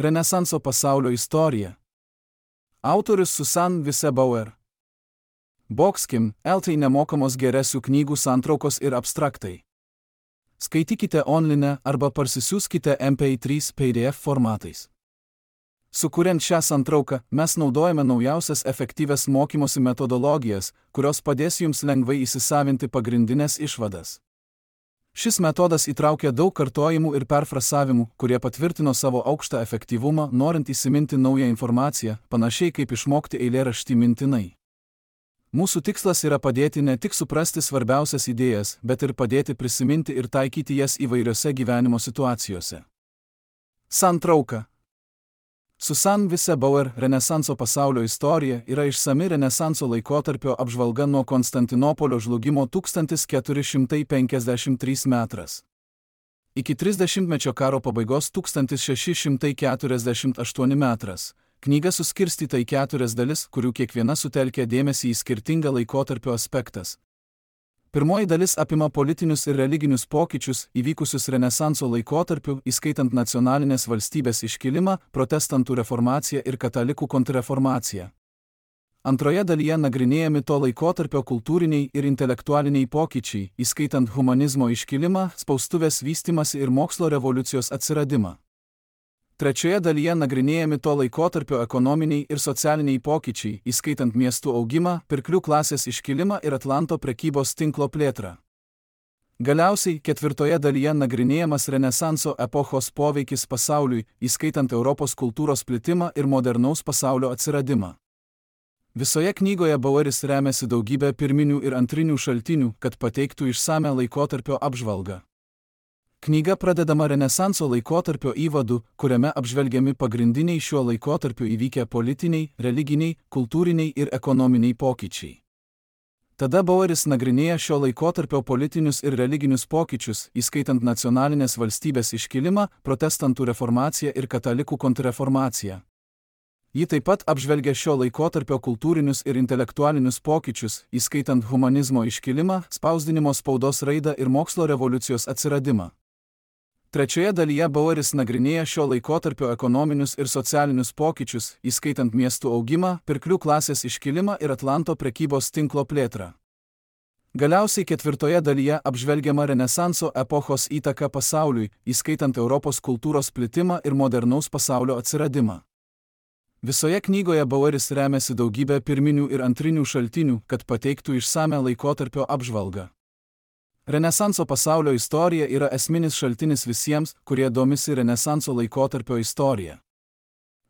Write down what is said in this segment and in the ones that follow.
Renesanso pasaulio istorija. Autorius Susan Vise-Bauer. Boxkim, LT nemokamos geresių knygų santraukos ir abstraktai. Skaitykite online arba parsisiųskite MP3 PDF formatais. Sukuriant šią santrauką, mes naudojame naujausias efektyvias mokymosi metodologijas, kurios padės jums lengvai įsisavinti pagrindinės išvadas. Šis metodas įtraukia daug kartojimų ir perfrasavimų, kurie patvirtino savo aukštą efektyvumą, norint įsiminti naują informaciją, panašiai kaip išmokti eilėraštį mintinai. Mūsų tikslas yra padėti ne tik suprasti svarbiausias idėjas, bet ir padėti prisiminti ir taikyti jas įvairiose gyvenimo situacijose. Santrauka. Susan Vise-Bauer Renesanso pasaulio istorija yra išsami Renesanso laikotarpio apžvalga nuo Konstantinopolio žlugimo 1453 metras. Iki 30-mečio karo pabaigos 1648 metras. Knyga suskirstyta į 4 dalis, kurių kiekviena sutelkia dėmesį į skirtingą laikotarpio aspektas. Pirmoji dalis apima politinius ir religinius pokyčius, įvykusius Renesanso laikotarpiu, įskaitant nacionalinės valstybės iškilimą, protestantų reformaciją ir katalikų kontrreformaciją. Antroje dalyje nagrinėjami to laikotarpio kultūriniai ir intelektualiniai pokyčiai, įskaitant humanizmo iškilimą, spaustuvės vystymąsi ir mokslo revoliucijos atsiradimą. Trečioje dalyje nagrinėjami to laikotarpio ekonominiai ir socialiniai pokyčiai, įskaitant miestų augimą, pirklių klasės iškilimą ir Atlanto prekybos tinklo plėtrą. Galiausiai, ketvirtoje dalyje nagrinėjamas Renesanso epochos poveikis pasauliui, įskaitant Europos kultūros plitimą ir modernaus pasaulio atsiradimą. Visoje knygoje Baueris remiasi daugybę pirminių ir antrinių šaltinių, kad pateiktų išsamią laikotarpio apžvalgą. Knyga pradedama Renesanso laikotarpio įvadu, kuriame apžvelgiami pagrindiniai šiuo laikotarpiu įvykę politiniai, religiniai, kultūriniai ir ekonominiai pokyčiai. Tada Baueris nagrinėja šio laikotarpio politinius ir religinius pokyčius, įskaitant nacionalinės valstybės iškilimą, protestantų reformaciją ir katalikų kontrreformaciją. Ji taip pat apžvelgia šio laikotarpio kultūrinius ir intelektualinius pokyčius, įskaitant humanizmo iškilimą, spausdinimo spaudos raidą ir mokslo revoliucijos atsiradimą. Trečioje dalyje Baueris nagrinėja šio laikotarpio ekonominius ir socialinius pokyčius, įskaitant miestų augimą, pirklių klasės iškilimą ir Atlanto prekybos tinklo plėtrą. Galiausiai ketvirtoje dalyje apžvelgiama Renesanso epochos įtaka pasauliui, įskaitant Europos kultūros plitimą ir modernaus pasaulio atsiradimą. Visoje knygoje Baueris remiasi daugybę pirminių ir antrinių šaltinių, kad pateiktų išsamią laikotarpio apžvalgą. Renesanso pasaulio istorija yra esminis šaltinis visiems, kurie domisi Renesanso laikotarpio istorija.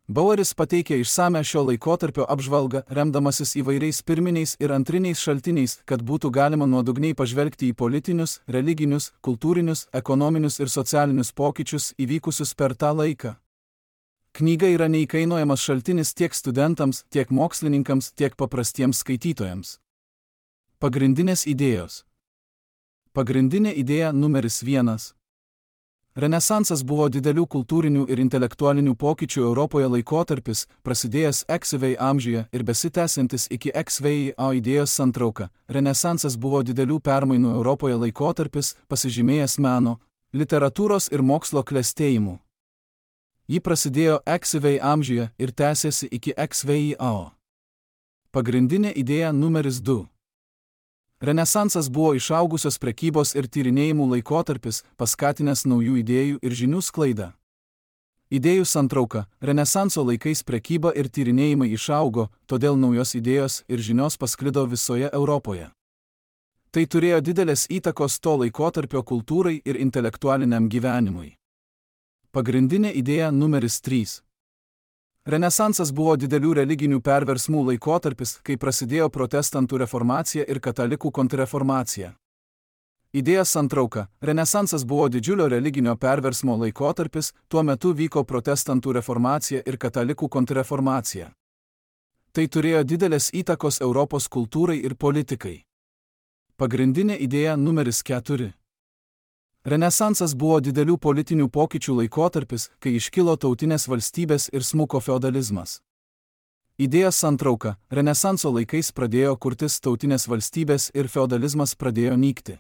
Baueris pateikia išsamią šio laikotarpio apžvalgą, remdamasis įvairiais pirminiais ir antriniais šaltiniais, kad būtų galima nuodugniai pažvelgti į politinius, religinius, kultūrinius, ekonominius ir socialinius pokyčius įvykusius per tą laiką. Knyga yra neįkainojamas šaltinis tiek studentams, tiek mokslininkams, tiek paprastiems skaitytojams. Pagrindinės idėjos. Pagrindinė idėja numeris 1. Renesansas buvo didelių kultūrinių ir intelektualinių pokyčių Europoje laikotarpis, prasidėjęs XV amžiuje ir besitęsiantis iki XVIA idėjos santrauka. Renesansas buvo didelių permainų Europoje laikotarpis, pasižymėjęs meno, literatūros ir mokslo klestėjimu. Ji prasidėjo XV amžiuje ir tęsėsi iki XVIA. Pagrindinė idėja numeris 2. Renesansas buvo išaugusios prekybos ir tyrinėjimų laikotarpis, paskatinęs naujų idėjų ir žinių sklaidą. Idėjų santrauka. Renesanso laikais prekyba ir tyrinėjimai išaugo, todėl naujos idėjos ir žinios pasklido visoje Europoje. Tai turėjo didelės įtakos to laikotarpio kultūrai ir intelektualiniam gyvenimui. Pagrindinė idėja numeris 3. Renesansas buvo didelių religinių perversmų laikotarpis, kai prasidėjo protestantų reformacija ir katalikų kontrreformacija. Idėja santrauka. Renesansas buvo didžiulio religinio perversmo laikotarpis, tuo metu vyko protestantų reformacija ir katalikų kontrreformacija. Tai turėjo didelės įtakos Europos kultūrai ir politikai. Pagrindinė idėja numeris 4. Renesansas buvo didelių politinių pokyčių laikotarpis, kai iškilo tautinės valstybės ir smuko feodalizmas. Idėja santrauka. Renesanso laikais pradėjo kurtis tautinės valstybės ir feodalizmas pradėjo nykti.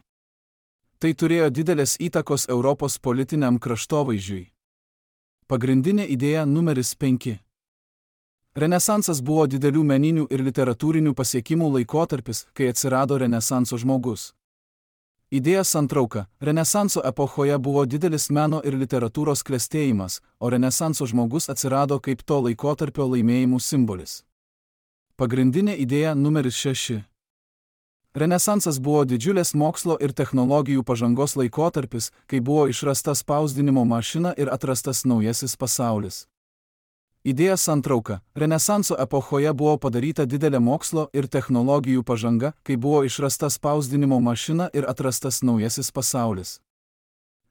Tai turėjo didelės įtakos Europos politiniam kraštovaizdžiui. Pagrindinė idėja numeris 5. Renesansas buvo didelių meninių ir literatūrinių pasiekimų laikotarpis, kai atsirado Renesanso žmogus. Idėja santrauka. Renesanso epochoje buvo didelis meno ir literatūros klestėjimas, o Renesanso žmogus atsirado kaip to laikotarpio laimėjimų simbolis. Pagrindinė idėja numeris 6. Renesansas buvo didžiulės mokslo ir technologijų pažangos laikotarpis, kai buvo išrasta spausdinimo mašina ir atrastas naujasis pasaulis. Idėja santrauka. Renesanso epochoje buvo padaryta didelė mokslo ir technologijų pažanga, kai buvo išrasta spausdinimo mašina ir atrastas naujasis pasaulis.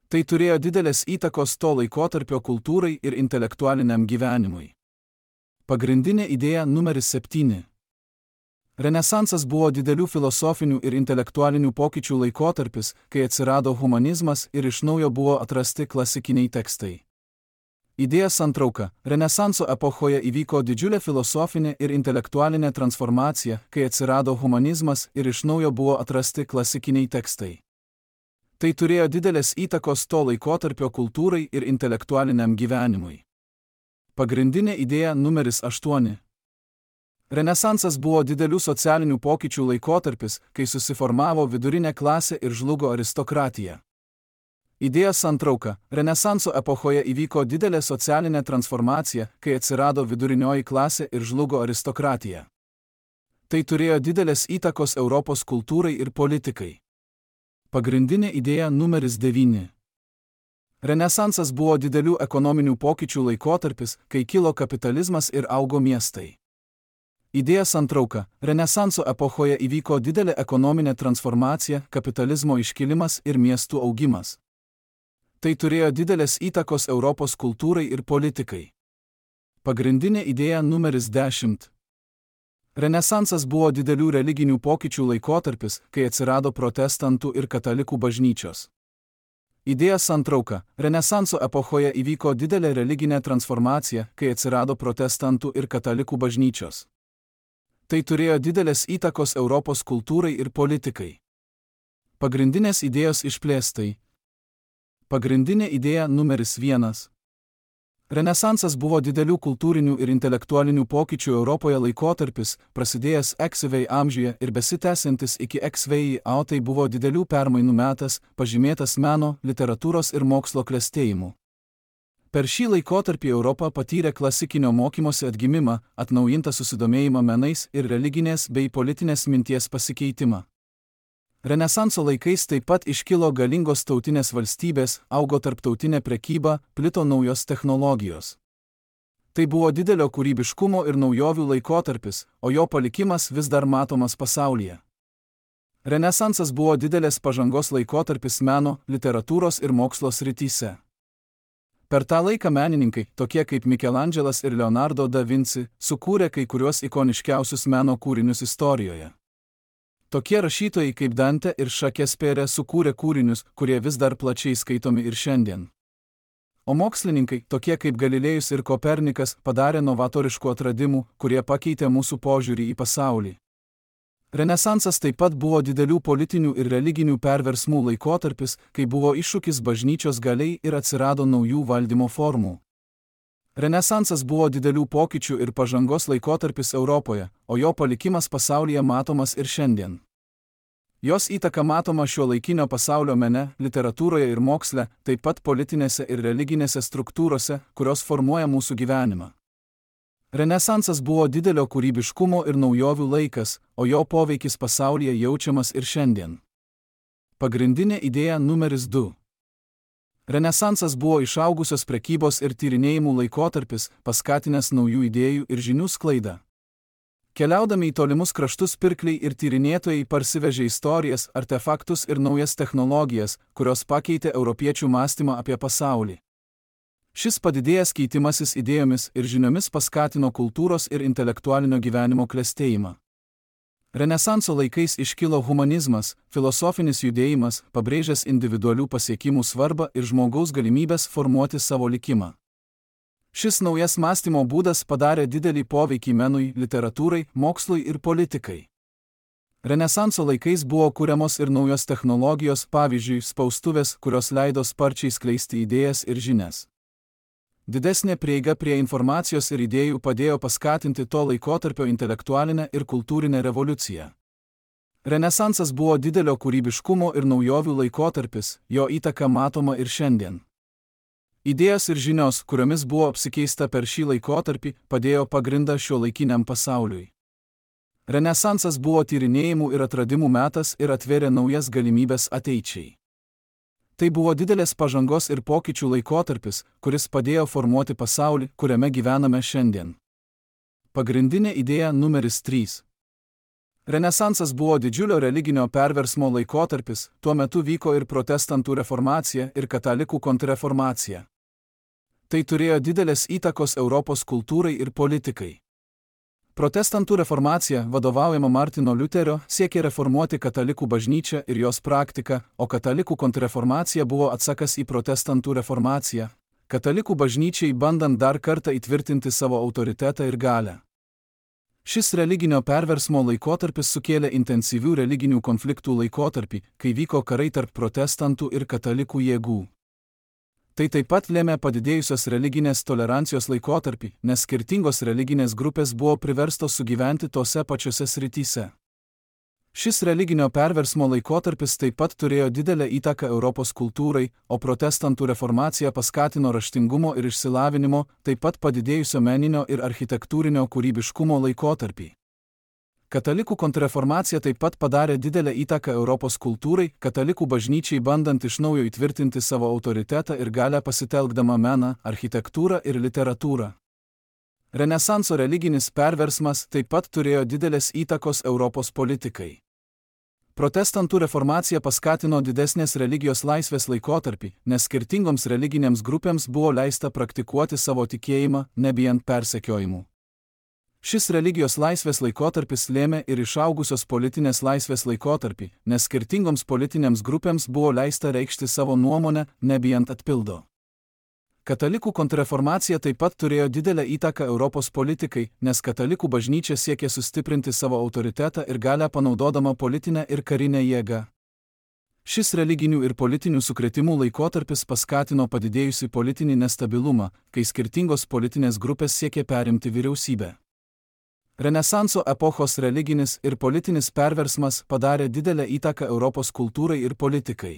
Tai turėjo didelės įtakos to laikotarpio kultūrai ir intelektualiniam gyvenimui. Pagrindinė idėja numeris 7. Renesansas buvo didelių filosofinių ir intelektualinių pokyčių laikotarpis, kai atsirado humanizmas ir iš naujo buvo atrasti klasikiniai tekstai. Idėja santrauka. Renesanso epochoje įvyko didžiulė filosofinė ir intelektualinė transformacija, kai atsirado humanizmas ir iš naujo buvo atrasti klasikiniai tekstai. Tai turėjo didelės įtakos to laikotarpio kultūrai ir intelektualiniam gyvenimui. Pagrindinė idėja numeris 8. Renesansas buvo didelių socialinių pokyčių laikotarpis, kai susiformavo vidurinė klasė ir žlugo aristokratija. Idėja santrauka. Renesanso epochoje įvyko didelė socialinė transformacija, kai atsirado vidurinioji klasė ir žlugo aristokratija. Tai turėjo didelės įtakos Europos kultūrai ir politikai. Pagrindinė idėja numeris 9. Renesansas buvo didelių ekonominių pokyčių laikotarpis, kai kilo kapitalizmas ir augo miestai. Idėja santrauka. Renesanso epochoje įvyko didelė ekonominė transformacija, kapitalizmo iškilimas ir miestų augimas. Tai turėjo didelės įtakos Europos kultūrai ir politikai. Pagrindinė idėja numeris 10. Renesansas buvo didelių religinių pokyčių laikotarpis, kai atsirado protestantų ir katalikų bažnyčios. Idėja santrauka. Renesanso epochoje įvyko didelė religinė transformacija, kai atsirado protestantų ir katalikų bažnyčios. Tai turėjo didelės įtakos Europos kultūrai ir politikai. Pagrindinės idėjos išplėstai. Pagrindinė idėja numeris 1. Renesansas buvo didelių kultūrinių ir intelektualinių pokyčių Europoje laikotarpis, prasidėjęs XV amžiuje ir besitęsiantis iki XVII, o tai buvo didelių permainų metas, pažymėtas meno, literatūros ir mokslo klestėjimu. Per šį laikotarpį Europa patyrė klasikinio mokymosi atgimimą, atnaujintą susidomėjimą menais ir religinės bei politinės minties pasikeitimą. Renesanso laikais taip pat iškilo galingos tautinės valstybės, augo tarptautinė prekyba, plito naujos technologijos. Tai buvo didelio kūrybiškumo ir naujovių laikotarpis, o jo palikimas vis dar matomas pasaulyje. Renesansas buvo didelės pažangos laikotarpis meno, literatūros ir mokslo srityse. Per tą laiką menininkai, tokie kaip Mikelandželas ir Leonardo da Vinci, sukūrė kai kuriuos ikoniškiausius meno kūrinius istorijoje. Tokie rašytojai kaip Dante ir Šakespeare sukūrė kūrinius, kurie vis dar plačiai skaitomi ir šiandien. O mokslininkai, tokie kaip Galilėjus ir Kopernikas, padarė novatoriškų atradimų, kurie pakeitė mūsų požiūrį į pasaulį. Renesansas taip pat buvo didelių politinių ir religinių perversmų laikotarpis, kai buvo iššūkis bažnyčios galiai ir atsirado naujų valdymo formų. Renesansas buvo didelių pokyčių ir pažangos laikotarpis Europoje, o jo palikimas pasaulyje matomas ir šiandien. Jos įtaka matoma šiuolaikinio pasaulio mene, literatūroje ir moksle, taip pat politinėse ir religinėse struktūrose, kurios formuoja mūsų gyvenimą. Renesansas buvo didelio kūrybiškumo ir naujovių laikas, o jo poveikis pasaulyje jaučiamas ir šiandien. Pagrindinė idėja numeris 2. Renesansas buvo išaugusios prekybos ir tyrinėjimų laikotarpis, paskatinęs naujų idėjų ir žinių sklaidą. Keliaudami į tolimus kraštus pirkliai ir tyrinėtojai parsivežė istorijas, artefaktus ir naujas technologijas, kurios pakeitė europiečių mąstymą apie pasaulį. Šis padidėjęs keitimasis idėjomis ir žiniomis paskatino kultūros ir intelektualinio gyvenimo klestėjimą. Renesanso laikais iškilo humanizmas, filosofinis judėjimas, pabrėžęs individualių pasiekimų svarbą ir žmogaus galimybės formuoti savo likimą. Šis naujas mąstymo būdas padarė didelį poveikį menui, literatūrai, mokslui ir politikai. Renesanso laikais buvo kuriamos ir naujos technologijos, pavyzdžiui, spaustuvės, kurios leido sparčiai skleisti idėjas ir žinias. Didesnė prieiga prie informacijos ir idėjų padėjo paskatinti to laikotarpio intelektualinę ir kultūrinę revoliuciją. Renesansas buvo didelio kūrybiškumo ir naujovių laikotarpis, jo įtaka matoma ir šiandien. Idėjos ir žinios, kuriomis buvo apsikeista per šį laikotarpį, padėjo pagrindą šiuolaikiniam pasauliui. Renesansas buvo tyrinėjimų ir atradimų metas ir atvėrė naujas galimybės ateičiai. Tai buvo didelės pažangos ir pokyčių laikotarpis, kuris padėjo formuoti pasaulį, kuriame gyvename šiandien. Pagrindinė idėja numeris 3. Renesansas buvo didžiulio religinio perversmo laikotarpis, tuo metu vyko ir protestantų reformacija ir katalikų kontrreformacija. Tai turėjo didelės įtakos Europos kultūrai ir politikai. Protestantų reformacija, vadovaujama Martino Liuterio, siekė reformuoti katalikų bažnyčią ir jos praktiką, o katalikų kontrreformacija buvo atsakas į protestantų reformaciją, katalikų bažnyčiai bandant dar kartą įtvirtinti savo autoritetą ir galią. Šis religinio perversmo laikotarpis sukėlė intensyvių religinių konfliktų laikotarpį, kai vyko karai tarp protestantų ir katalikų jėgų. Tai taip pat lėmė padidėjusios religinės tolerancijos laikotarpį, nes skirtingos religinės grupės buvo priverstos sugyventi tose pačiose srityse. Šis religinio perversmo laikotarpis taip pat turėjo didelę įtaką Europos kultūrai, o protestantų reformacija paskatino raštingumo ir išsilavinimo, taip pat padidėjusio meninio ir architektūrinio kūrybiškumo laikotarpį. Katalikų kontrreformacija taip pat padarė didelę įtaką Europos kultūrai, katalikų bažnyčiai bandant iš naujo įtvirtinti savo autoritetą ir galią pasitelkdama meną, architektūrą ir literatūrą. Renesanso religinis perversmas taip pat turėjo didelės įtakos Europos politikai. Protestantų reformacija paskatino didesnės religijos laisvės laikotarpį, nes skirtingoms religinėms grupėms buvo leista praktikuoti savo tikėjimą, nebijant persekiojimų. Šis religijos laisvės laikotarpis lėmė ir išaugusios politinės laisvės laikotarpį, nes skirtingoms politinėms grupėms buvo leista reikšti savo nuomonę, nebijant atpildo. Katalikų kontrreformacija taip pat turėjo didelę įtaką Europos politikai, nes katalikų bažnyčia siekė sustiprinti savo autoritetą ir galią panaudodama politinę ir karinę jėgą. Šis religinių ir politinių sukrėtimų laikotarpis paskatino padidėjusį politinį nestabilumą, kai skirtingos politinės grupės siekė perimti vyriausybę. Renesanso epochos religinis ir politinis perversmas padarė didelę įtaką Europos kultūrai ir politikai.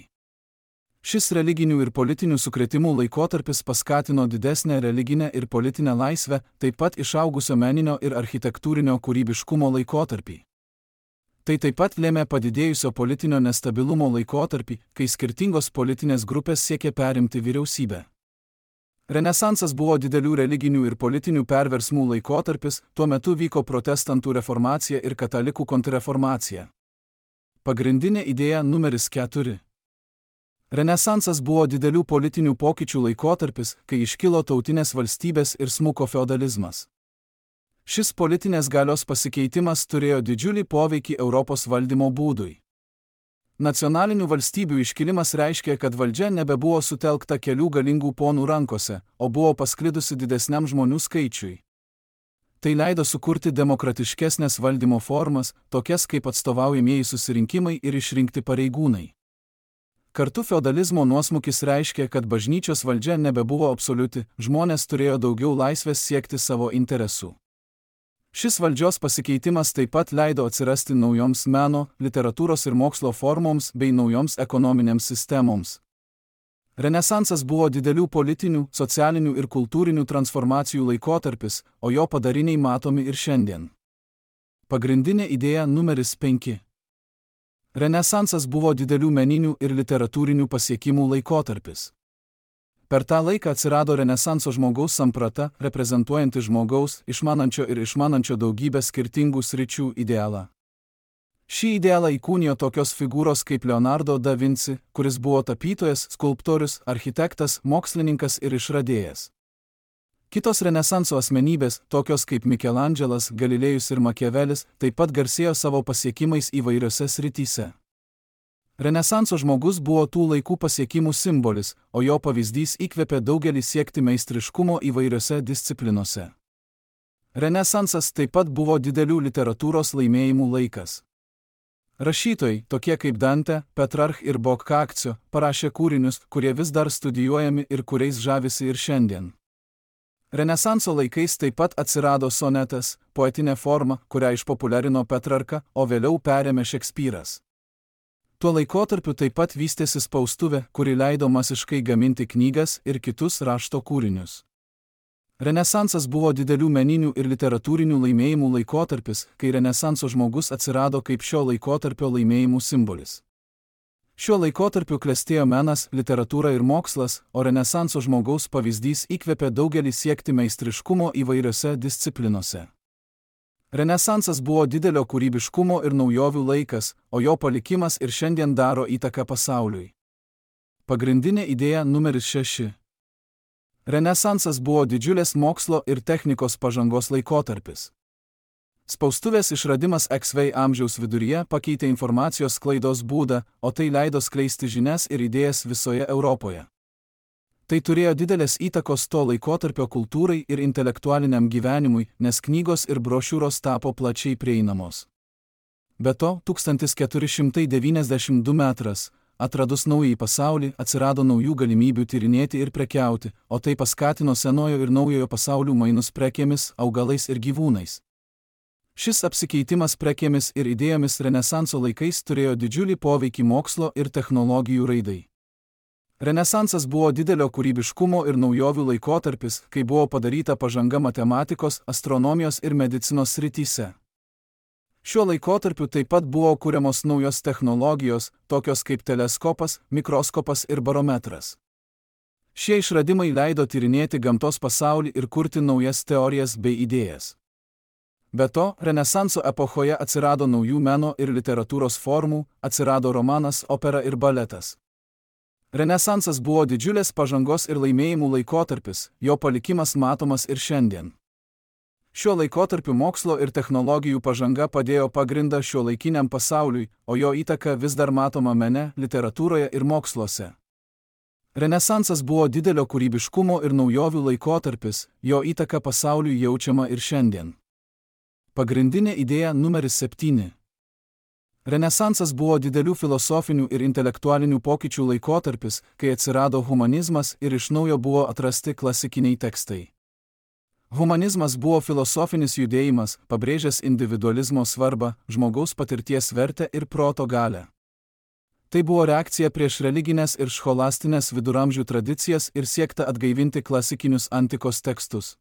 Šis religinių ir politinių sukrėtimų laikotarpis paskatino didesnę religinę ir politinę laisvę, taip pat išaugusio meninio ir architektūrinio kūrybiškumo laikotarpį. Tai taip pat lėmė padidėjusio politinio nestabilumo laikotarpį, kai skirtingos politinės grupės siekė perimti vyriausybę. Renesansas buvo didelių religinių ir politinių perversmų laikotarpis, tuo metu vyko protestantų reformacija ir katalikų kontrreformacija. Pagrindinė idėja numeris 4. Renesansas buvo didelių politinių pokyčių laikotarpis, kai iškilo tautinės valstybės ir smuko feodalizmas. Šis politinės galios pasikeitimas turėjo didžiulį poveikį Europos valdymo būdui. Nacionalinių valstybių iškilimas reiškė, kad valdžia nebebuvo sutelkta kelių galingų ponų rankose, o buvo pasklidusi didesniam žmonių skaičiui. Tai leido sukurti demokratiškesnės valdymo formas, tokias kaip atstovaujamieji susirinkimai ir išrinkti pareigūnai. Kartu feodalizmo nuosmukis reiškė, kad bažnyčios valdžia nebebuvo absoliuti, žmonės turėjo daugiau laisvės siekti savo interesų. Šis valdžios pasikeitimas taip pat leido atsirasti naujoms meno, literatūros ir mokslo formoms bei naujoms ekonominėms sistemoms. Renesansas buvo didelių politinių, socialinių ir kultūrinių transformacijų laikotarpis, o jo padariniai matomi ir šiandien. Pagrindinė idėja numeris 5. Renesansas buvo didelių meninių ir literatūrinių pasiekimų laikotarpis. Per tą laiką atsirado Renesanso žmogaus samprata, reprezentuojanti žmogaus, išmanančio ir išmanančio daugybę skirtingų sričių idealą. Šį idealą įkūnijo tokios figūros kaip Leonardo da Vinci, kuris buvo tapytojas, skulptorius, architektas, mokslininkas ir išradėjas. Kitos Renesanso asmenybės, tokios kaip Mikelandželas, Galilėjus ir Makiavelis, taip pat garsėjo savo pasiekimais įvairiose srityse. Renesanso žmogus buvo tų laikų pasiekimų simbolis, o jo pavyzdys įkvėpė daugelį siekti meistriškumo įvairiose disciplinose. Renesansas taip pat buvo didelių literatūros laimėjimų laikas. Rašytojai, tokie kaip Dante, Petrarch ir Boccaccio, parašė kūrinius, kurie vis dar studijuojami ir kuriais žavisi ir šiandien. Renesanso laikais taip pat atsirado sonetas, poetinė forma, kurią išpopuliarino Petrarka, o vėliau perėmė Šekspyras. Tuo laikotarpiu taip pat vystėsi spaustuvė, kuri leido masiškai gaminti knygas ir kitus rašto kūrinius. Renesansas buvo didelių meninių ir literatūrinių laimėjimų laikotarpis, kai Renesanso žmogus atsirado kaip šio laikotarpio laimėjimų simbolis. Šiuo laikotarpiu klestėjo menas, literatūra ir mokslas, o Renesanso žmogaus pavyzdys įkvėpė daugelį siekti meistriškumo įvairiose disciplinose. Renesansas buvo didelio kūrybiškumo ir naujovių laikas, o jo palikimas ir šiandien daro įtaką pasauliui. Pagrindinė idėja numeris 6. Renesansas buvo didžiulės mokslo ir technikos pažangos laikotarpis. Spaustuvės išradimas XV amžiaus viduryje pakeitė informacijos sklaidos būdą, o tai leido skleisti žinias ir idėjas visoje Europoje. Tai turėjo didelės įtakos to laikotarpio kultūrai ir intelektualiniam gyvenimui, nes knygos ir brošiūros tapo plačiai prieinamos. Be to, 1492 metras, atradus naująjį pasaulį, atsirado naujų galimybių tyrinėti ir prekiauti, o tai paskatino senojo ir naujojo pasaulių mainus prekėmis, augalais ir gyvūnais. Šis apsikeitimas prekėmis ir idėjomis Renesanso laikais turėjo didžiulį poveikį mokslo ir technologijų raidai. Renesansas buvo didelio kūrybiškumo ir naujovių laikotarpis, kai buvo padaryta pažanga matematikos, astronomijos ir medicinos srityse. Šiuo laikotarpiu taip pat buvo kuriamos naujos technologijos, tokios kaip teleskopas, mikroskopas ir barometras. Šie išradimai leido tyrinėti gamtos pasaulį ir kurti naujas teorijas bei idėjas. Be to, Renesanso epochoje atsirado naujų meno ir literatūros formų, atsirado romanas, opera ir baletas. Renesansas buvo didžiulės pažangos ir laimėjimų laikotarpis, jo palikimas matomas ir šiandien. Šiuo laikotarpiu mokslo ir technologijų pažanga padėjo pagrindą šiuolaikiniam pasauliui, o jo įtaka vis dar matoma mene, literatūroje ir moksluose. Renesansas buvo didelio kūrybiškumo ir naujovių laikotarpis, jo įtaka pasauliui jaučiama ir šiandien. Pagrindinė idėja numeris 7. Renesansas buvo didelių filosofinių ir intelektualinių pokyčių laikotarpis, kai atsirado humanizmas ir iš naujo buvo atrasti klasikiniai tekstai. Humanizmas buvo filosofinis judėjimas, pabrėžęs individualizmo svarbą, žmogaus patirties vertę ir proto galią. Tai buvo reakcija prieš religinės ir scholastinės viduramžių tradicijas ir siekta atgaivinti klasikinius antikos tekstus.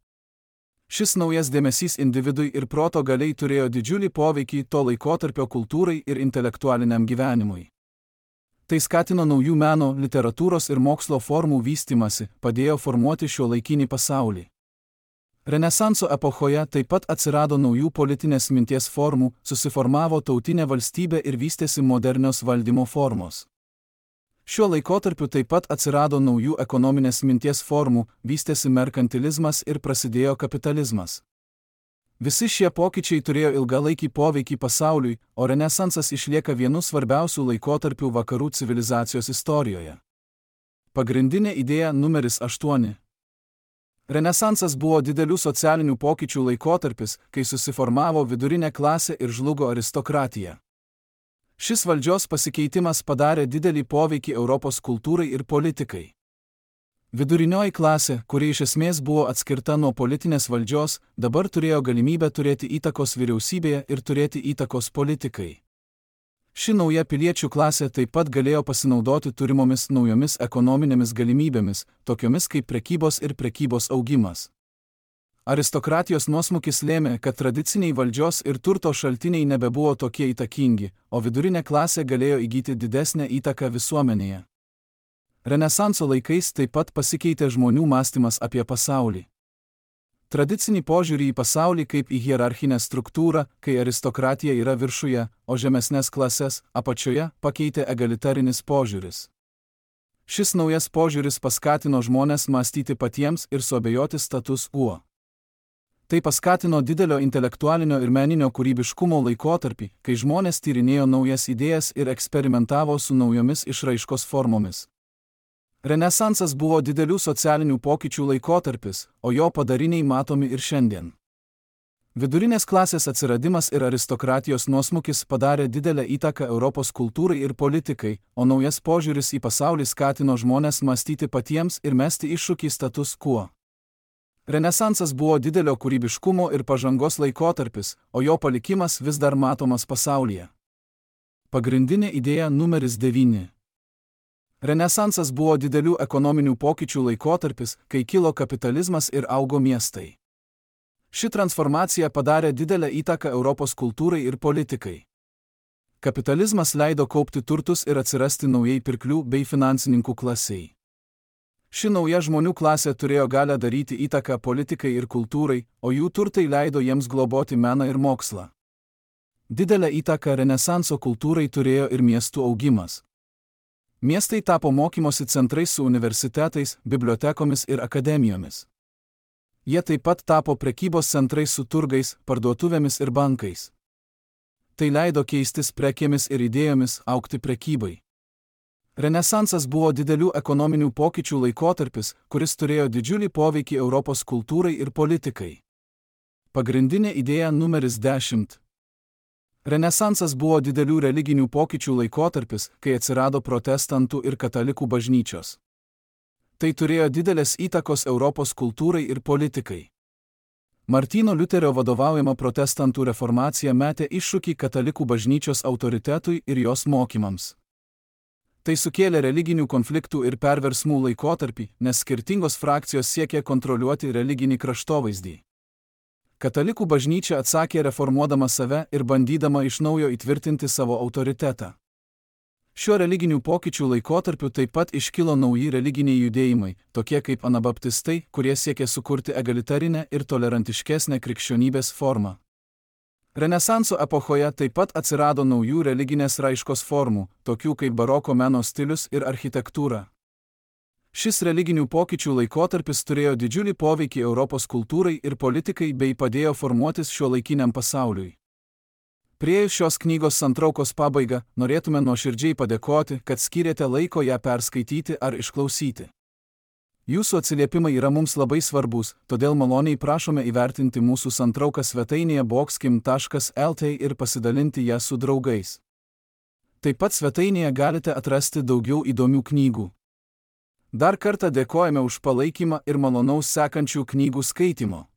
Šis naujas dėmesys individui ir proto galiai turėjo didžiulį poveikį to laikotarpio kultūrai ir intelektualiniam gyvenimui. Tai skatino naujų meno, literatūros ir mokslo formų vystymasi, padėjo formuoti šiuolaikinį pasaulį. Renesanso epochoje taip pat atsirado naujų politinės minties formų, susiformavo tautinė valstybė ir vystėsi modernios valdymo formos. Šiuo laikotarpiu taip pat atsirado naujų ekonominės minties formų, vystėsi merkantilizmas ir prasidėjo kapitalizmas. Visi šie pokyčiai turėjo ilgalaikį poveikį pasauliui, o Renesansas išlieka vienu svarbiausių laikotarpių vakarų civilizacijos istorijoje. Pagrindinė idėja numeris 8. Renesansas buvo didelių socialinių pokyčių laikotarpis, kai susiformavo vidurinė klasė ir žlugo aristokratija. Šis valdžios pasikeitimas padarė didelį poveikį Europos kultūrai ir politikai. Vidurinioji klasė, kuri iš esmės buvo atskirta nuo politinės valdžios, dabar turėjo galimybę turėti įtakos vyriausybėje ir turėti įtakos politikai. Ši nauja piliečių klasė taip pat galėjo pasinaudoti turimomis naujomis ekonominėmis galimybėmis, tokiomis kaip prekybos ir prekybos augimas. Aristokratijos nuosmukis lėmė, kad tradiciniai valdžios ir turto šaltiniai nebebuvo tokie įtakingi, o vidurinė klasė galėjo įgyti didesnę įtaką visuomenėje. Renesanso laikais taip pat pasikeitė žmonių mąstymas apie pasaulį. Tradicinį požiūrį į pasaulį kaip į hierarchinę struktūrą, kai aristokratija yra viršuje, o žemesnės klases, apačioje, pakeitė egalitarinis požiūris. Šis naujas požiūris paskatino žmones mąstyti patiems ir suabejoti status quo. Tai paskatino didelio intelektualinio ir meninio kūrybiškumo laikotarpį, kai žmonės tyrinėjo naujas idėjas ir eksperimentavo su naujomis išraiškos formomis. Renesansas buvo didelių socialinių pokyčių laikotarpis, o jo padariniai matomi ir šiandien. Vidurinės klasės atsiradimas ir aristokratijos nuosmukis padarė didelę įtaką Europos kultūrai ir politikai, o naujas požiūris į pasaulį skatino žmones mąstyti patiems ir mesti iššūkį status quo. Renesansas buvo didelio kūrybiškumo ir pažangos laikotarpis, o jo palikimas vis dar matomas pasaulyje. Pagrindinė idėja numeris 9. Renesansas buvo didelių ekonominių pokyčių laikotarpis, kai kilo kapitalizmas ir augo miestai. Ši transformacija padarė didelę įtaką Europos kultūrai ir politikai. Kapitalizmas leido kaupti turtus ir atsirasti naujai pirklių bei finansininkų klasiai. Ši nauja žmonių klasė turėjo galią daryti įtaką politikai ir kultūrai, o jų turtai leido jiems globoti meną ir mokslą. Didelę įtaką Renesanso kultūrai turėjo ir miestų augimas. Miestai tapo mokymosi centrais su universitetais, bibliotekomis ir akademijomis. Jie taip pat tapo prekybos centrais su turgais, parduotuvėmis ir bankais. Tai leido keistis prekėmis ir idėjomis, augti prekybai. Renesansas buvo didelių ekonominių pokyčių laikotarpis, kuris turėjo didžiulį poveikį Europos kultūrai ir politikai. Pagrindinė idėja numeris 10. Renesansas buvo didelių religinių pokyčių laikotarpis, kai atsirado protestantų ir katalikų bažnyčios. Tai turėjo didelės įtakos Europos kultūrai ir politikai. Martyno Liuterio vadovaujama protestantų reformacija metė iššūkį katalikų bažnyčios autoritetui ir jos mokymams. Tai sukėlė religinių konfliktų ir perversmų laikotarpį, nes skirtingos frakcijos siekė kontroliuoti religinį kraštovaizdį. Katalikų bažnyčia atsakė reformuodama save ir bandydama iš naujo įtvirtinti savo autoritetą. Šiuo religinių pokyčių laikotarpiu taip pat iškilo nauji religiniai judėjimai, tokie kaip anabaptistai, kurie siekė sukurti egalitarinę ir tolerantiškesnę krikščionybės formą. Renesanso epochoje taip pat atsirado naujų religinės raiškos formų, tokių kaip baroko meno stilius ir architektūra. Šis religinių pokyčių laikotarpis turėjo didžiulį poveikį Europos kultūrai ir politikai bei padėjo formuotis šiuolaikiniam pasauliui. Priėjus šios knygos santraukos pabaigą, norėtume nuoširdžiai padėkoti, kad skyrėte laiko ją perskaityti ar išklausyti. Jūsų atsiliepimai yra mums labai svarbus, todėl maloniai prašome įvertinti mūsų santrauką svetainėje boxkim.lt ir pasidalinti ją su draugais. Taip pat svetainėje galite atrasti daugiau įdomių knygų. Dar kartą dėkojame už palaikymą ir malonaus sekančių knygų skaitimo.